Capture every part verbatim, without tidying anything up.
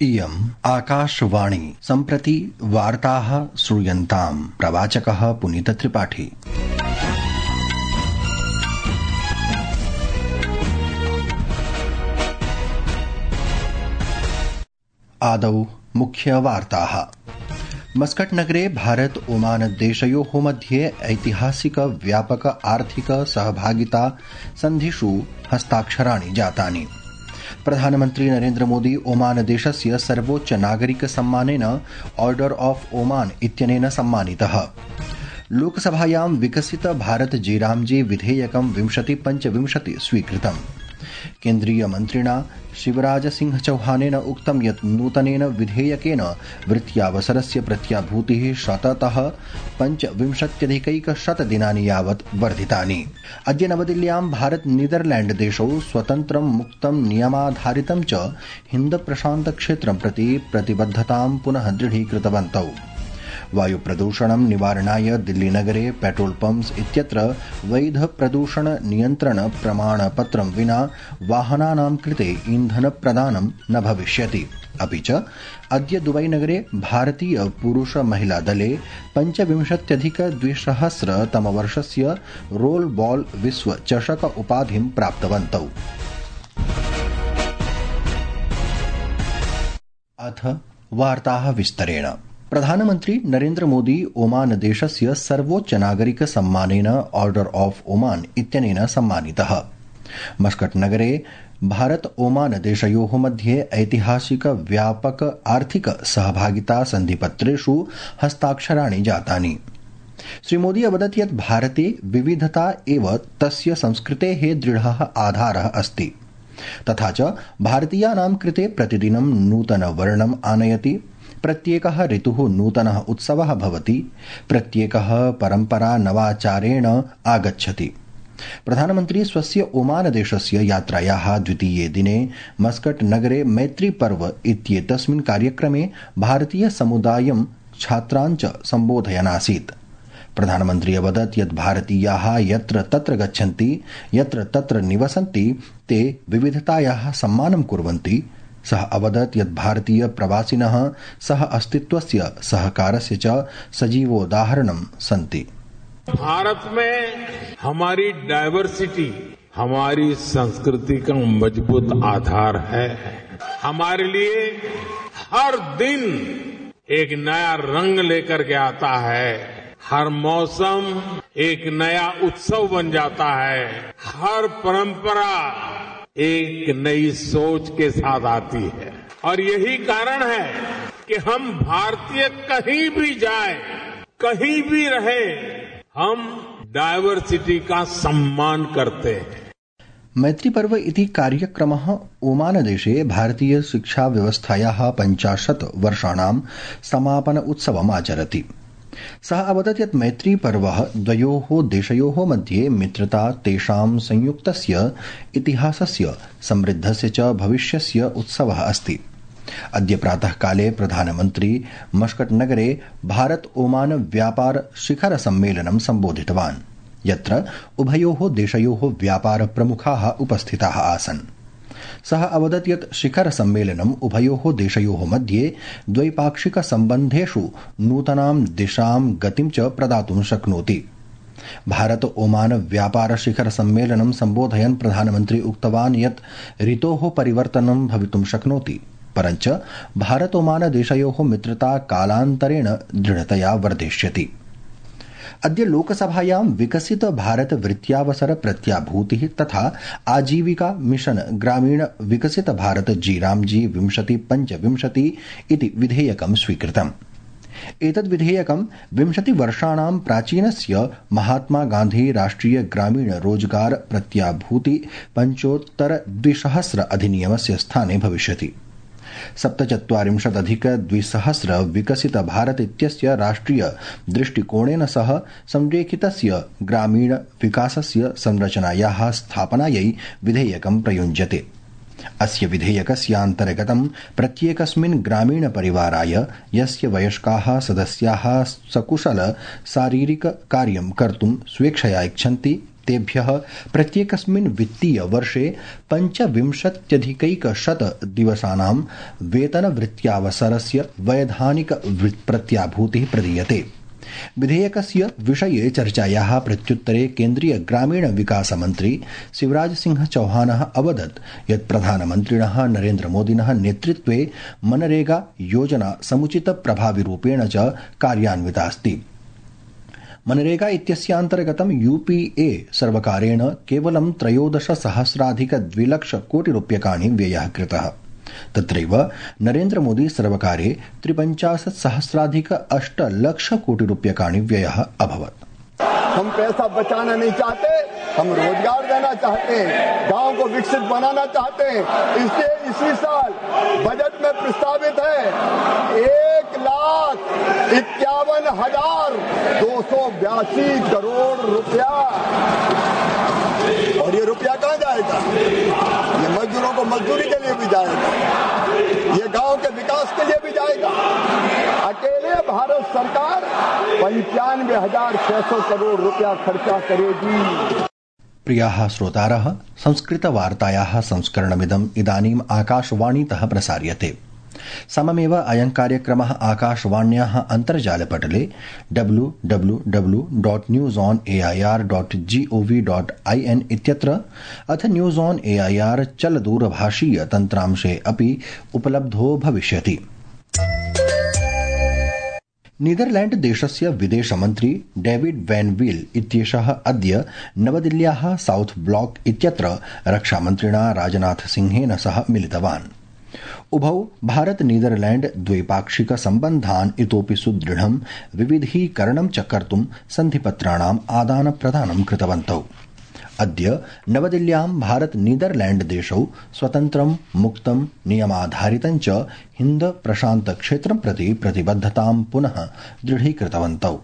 इयम् आकाशवाणी सम्प्रति वार्ताः श्रूयन्ताम्। प्रवाचकः पुनीतत्रिपाठी। आदौ मुख्यवार्ताः। मस्कट नगरे भारत ओमान देशयोः मध्ये ऐतिहासिक व्यापक आर्थिक सहभागिता सन्धिषु हस्ताक्षराणि जातानि। प्रधानमन्त्री नरेन्द्र मोदी ओमान देशस्य सर्वोच्च नागरिक सम्मानेन ऑर्डर ऑफ ओमान इत्यनेन सम्मानितः। लोकसभायां विकसित भारत जीरामजी विधेयकं विंशति पञ्चविंशति स्वीकृतम्। केन्द्रीय मन्त्रिणा शिवराज सिंह चौहानेन उक्तं यत् नूतनेन विधेयकेन वृत्त्यावसरस्य प्रत्याभूतिः शततः पञ्चविंशत्यधिकैकशत दिनानि यावत् वर्धितानि। अद्य नवदिल्ल्यां भारत नीदरलैंड देशौ स्वतन्त्रं मुक्तं नियमाधारितं च हिन्द प्रशान्त क्षेत्रं प्रति प्रतिबद्धतां पुनः दृढीकृतवन्तौ। वायु प्रदूषणं निवारणाय दिल्लीनगरे पेट्रोल पम्प्स इत्यत्र वैध प्रदूषण नियन्त्रण प्रमाणपत्रं विना वाहनानां कृते ईन्धन प्रदानं न भविष्यति। अपि च अद्य दुबईनगरे भारतीय पुरुष महिला दले पञ्चविंशत्यधिक द्विसहस्र तमवर्षस्य रोल बॉल विश्व चषक उपाधिं प्राप्तवन्तौ। अथ वार्ताः विस्तरेण। प्रधानमन्त्री नरेन्द्र मोदी ओमान देशस्य सर्वोच्च नागरिक सम्मानेन ऑर्डर ऑफ ओमान इत्यनेन सम्मानितः। मस्कट नगरे भारत ओमान देशयोः मध्ये ऐतिहासिक व्यापक आर्थिक सहभागिता सन्धिपत्रेषु हस्ताक्षराणि जातानि। श्री मोदी अवदत् यत् भारते विविधता एव तस्य संस्कृतेः दृढः आधारः अस्ति, तथा च भारतीयानां कृते प्रतिदिनं नूतनवर्णम् आनयति। प्रत्येकः ऋतुः नूतनः उत्सवः भवति, प्रत्येकः परम्परा नवाचारेण आगच्छति। प्रधानमन्त्री स्वस्य ओमान देशस्य यात्रायाः द्वितीये दिने मस्कट नगरे मैत्री पर्व इत्येतस्मिन् कार्यक्रमे भारतीय समुदायं छात्रान् च सम्बोधयन् आसीत्। प्रधानमन्त्री अवदत् यत् भारतीयाः यत्र तत्र गच्छन्ति, यत्र तत्र निवसन्ति, ते विविधतायाः सम्मानं कुर्वन्ति। सः अवदत् यत् भारतीय प्रवासिनः सह अस्तित्वस्य सहकारस्य च सजीवोदाहरणं सन्ति। भारत में हमारी डाइवर्सिटी हमारी संस्कृति का मजबूत आधार है। हमारे लिए हर दिन एक नया रंग लेकर के आता है, हर मौसम एक नया उत्सव बन जाता है, हर परंपरा एक नई सोच के साथ आती है। और यही कारण है कि हम भारतीय कहीं भी जाए, कहीं भी रहे, हम डाइवर्सिटी का सम्मान करते हैं। मैत्री पर्व इति कार्यक्रमः ओमान देशे भारतीय शिक्षा व्यवस्थायाः पञ्चाशत् वर्षाणां समापन उत्सवम् आचरति। सः अवदत् यत् मैत्री पर्व द्वयोः देशयोः मध्ये मित्रता, तेषां संयुक्तस्य इतिहासस्य, समृद्धस्य च भविष्यस्य उत्सवः अस्ति। अद्य प्रातःकाले प्रधानमन्त्री मस्कट नगरे भारत ओमान व्यापार शिखर सम्मेलनं सम्बोधितवान्, यत्र उभयोः देशयोः व्यापार प्रमुखाः उपस्थिताः आसन्। सः अवदत् यत् शिखर सम्मेलनम् उभयोः देशयोः मध्ये द्वैपाक्षिक सम्बन्धेषु नूतनां दिशां गतिं च प्रदातुं शक्नोति। भारत ओमान व्यापार शिखर सम्मेलनं सम्बोधयन् प्रधानमन्त्री उक्तवान् यत् ऋतोः परिवर्तनं भवितुं शक्नोति, परञ्च भारत ओमान देशयोः मित्रता कालान्तरेण दृढतया वर्धिष्यति। अद्य लोकसभायां विकसित भारत वृत्त्यावसर प्रत्याभूतिः तथा आजीविका मिशन ग्रामीण विकसित भारत जीरामजी विंशति पञ्चविंशति इति विधेयकं स्वीकृतम्। एतद् विधेयकं विंशति वर्षाणां प्राचीनस्य महात्मा गान्धी राष्ट्रिय ग्रामीण रोजगार प्रत्याभूति पञ्चोत्तर द्विसहस्र अधिनियमस्य स्थाने भविष्यति। सप्तचत्वारिंशदधिक द्विसहस्र विकसित भारत इत्यस्य राष्ट्रिय दृष्टिकोणेन सह संरेखितस्य ग्रामीण विकासस्य संरचनायाः स्थापनायै विधेयकं प्रयुञ्जते। अस्य विधेयकस्यान्तर्गतं प्रत्येकस्मिन् ग्रामीण परिवाराय यस्य वयस्काः सदस्याः सकुशल शारीरिक कार्यं कर्तुं स्वेच्छया इच्छन्ति, तेभ्यः प्रत्येकस्मिन् वित्तीय वर्षे पञ्चविंशत्यधिकैकशत दिवसानां वेतनवृत्त्यावसरस्य वैधानिक प्रत्याभूतिः प्रदीयते। विधेयकस्य विषये चर्चायाः प्रत्युत्तरे केन्द्रीय ग्रामीण विकास मन्त्री शिवराज सिंह चौहानः अवदत् यत् प्रधानमन्त्रिणः नरेन्द्र मोदिनः नेतृत्वे मनरेगा योजना समुचित प्रभाविरूपेण च कार्यान्वितास्ति। मनरेगा इत्यस्यान्तर्गतं यूपीए सर्वकारेण केवलं त्रयोदश सहस्राधिक द्विलक्ष कोटि रूप्यकाणि व्ययः कृतः। तत्रैव नरेन्द्र मोदी सर्वकारे त्रिपञ्चाशत् सहस्राधिक अष्ट लक्ष कोटि रूप्यकाणि व्ययः अभवत्। हम पैसा बचाना नहीं चाहते, हम रोजगार देना चाहते हैं, गांव को विकसित बनाना चाहते हैं। इसलिए इसी साल बजट में प्रस्तावित है एक लाख इक्यावन हजार दो सौ बयासी करोड़ रुपया। और ये रुपया कहाँ जाएगा? ये मजदूरों को मजदूरी के लिए भी जाएगा, ये गांव के विकास के लिए भी जाएगा। अकेले भारत सरकार पंचानवे हजार छह सौ करोड़ रुपया खर्चा करेगी। प्रियाः श्रोतारः, संस्कृतवार्तायाः संस्करणमिदम् इदानीम् आकाशवाणीतः प्रसार्यते। सममेव अयं कार्यक्रमः आकाशवाण्याः अन्तर्जालपटले W W W dot news on A I R dot G O V dot I N इत्यत्र अथ news on A I R चलदूरभाषीय तन्त्रांशे अपि उपलब्धो भविष्यति। नीदरलैण्ड देशस्य विदेशमन्त्री डेविड वैन वील इत्येषः अद्य नवदिल्ल्याः साउथ ब्लॉक इत्यत्र रक्षामन्त्रिणा राजनाथ सिंहेन सह मिलितवान्। उभौ भारत नीदरलैण्ड द्वैपाक्षिक सम्बन्धान् इतोपि सुदृढं विविधीकरणं च कर्तुं सन्धिपत्राणाम् आदान प्रदानं कृतवन्तौ। अद्य नवदिल्ल्यां भारत नीदरलैण्ड देशौ स्वतन्त्रं मुक्तं नियमाधारितं च हिन्द प्रशान्त क्षेत्रं प्रति प्रतिबद्धतां पुनः दृढीकृतवन्तौ।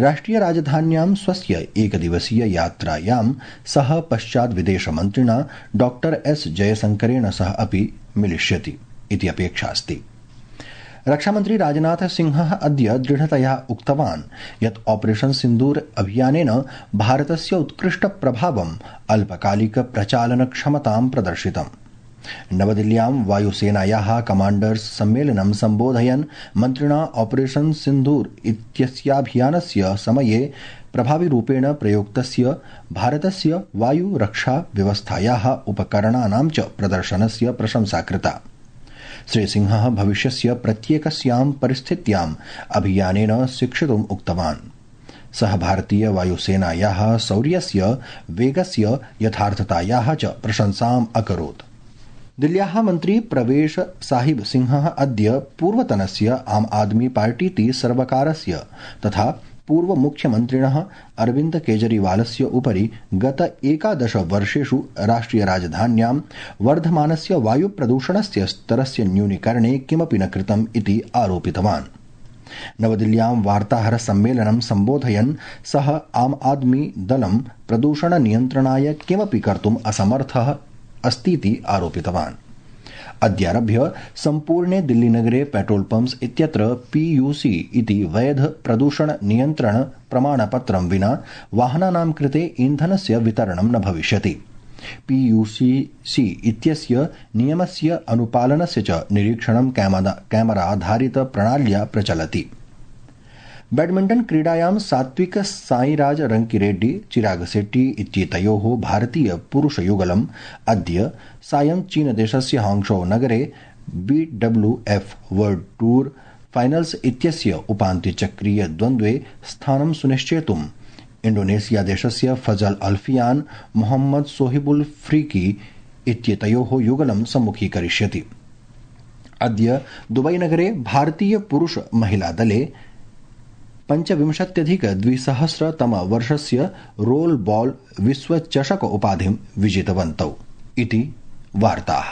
राष्ट्रिय राजधान्यां स्वस्य एकदिवसीय यात्रायां सह पश्चात् विदेशमन्त्रिणा डॉक्टर एस जयशंकरेण सह अपि मिलिष्यति इति अपेक्षा अस्ति। रक्षामन्त्री राजनाथ सिंहः अद्य दृढतया उक्तवान् यत् ऑपरेशन सिन्दूर अभियानेन भारतस्य उत्कृष्ट प्रभावम् अल्पकालिक प्रचालन क्षमतां प्रदर्शितम्। नवदिल्ल्यां वायुसेनायाः कमाण्डर्स् सम्मेलनं सम्बोधयन् मन्त्रिणा ऑपरेशन सिन्दूर इत्यस्याभियानस्य समये प्रभाविरूपेण प्रयुक्तस्य भारतस्य वायुरक्षा व्यवस्थायाः उपकरणानां च प्रदर्शनस्य प्रशंसा कृता। श्रीसिंहः भविष्यस्य प्रत्येकस्यां परिस्थित्याम् अभियानेन शिक्षितुम् उक्तवान्। सः भारतीय वायुसेनायाः शौर्यस्य वेगस्य यथार्थतायाः च प्रशंसाम् अकरोत्। दिल्ल्याः मन्त्री प्रवेश साहिब सिंहः अद्य पूर्वतनस्य आम आदमी पार्टीति सर्वकारस्य तथा पूर्व मुख्यमन्त्रिणः अरविन्द केजरीवालस्य उपरि गत एकादश वर्षेषु राष्ट्रिय राजधान्यां वर्धमानस्य वायु प्रदूषणस्य स्तरस्य न्यूनीकरणे किमपि न कृतम् इति आरोपितवान्। नवदिल्ल्यां वार्ताहर सम्मेलनं सम्बोधयन् सः आम आदमी दलं प्रदूषण नियन्त्रणाय किमपि कर्तुम् असमर्थः अस्तीति आरोपितवान्। अद्यारभ्य सम्पूर्णे दिल्लीनगरे पेट्रोल पम्प्स् इत्यत्र पीयूसी इति वैध प्रदूषण नियन्त्रण प्रमाणपत्रं विना वाहनानां कृते ईन्धनस्य वितरणं न भविष्यति। पीयूसी इत्यस्य नियमस्य अनुपालनस्य च निरीक्षणं कैमराधारित प्रणाल्या प्रचलति। बैडमिण्टन क्रीडायां सात्विक साईराज रंकिरेड्डी चिराग शेट्टी इत्येतयोः भारतीय पुरुषयुगलम् अद्य सायं चीनदेशस्य हांगझौ नगरे B W F World Tour Finals इत्यस्य उपान्त्यचक्रीय द्वन्द्वे स्थानं सुनिश्चेतुम् इंडोनेशिया देशस्य फजल अल्फियान मोहम्मद सोहिबुल फ्रीकी इत्येतयोः युगलं सम्मुखीकरिष्यति। अद्य दुबई नगरे भारतीय पुरुष महिला दले पंचविंशत्यधिक द्विसहस्रतम वर्षस्य रोल बॉल विश्वचषक उपाधिं विजितवन्तौ इति वार्ताः।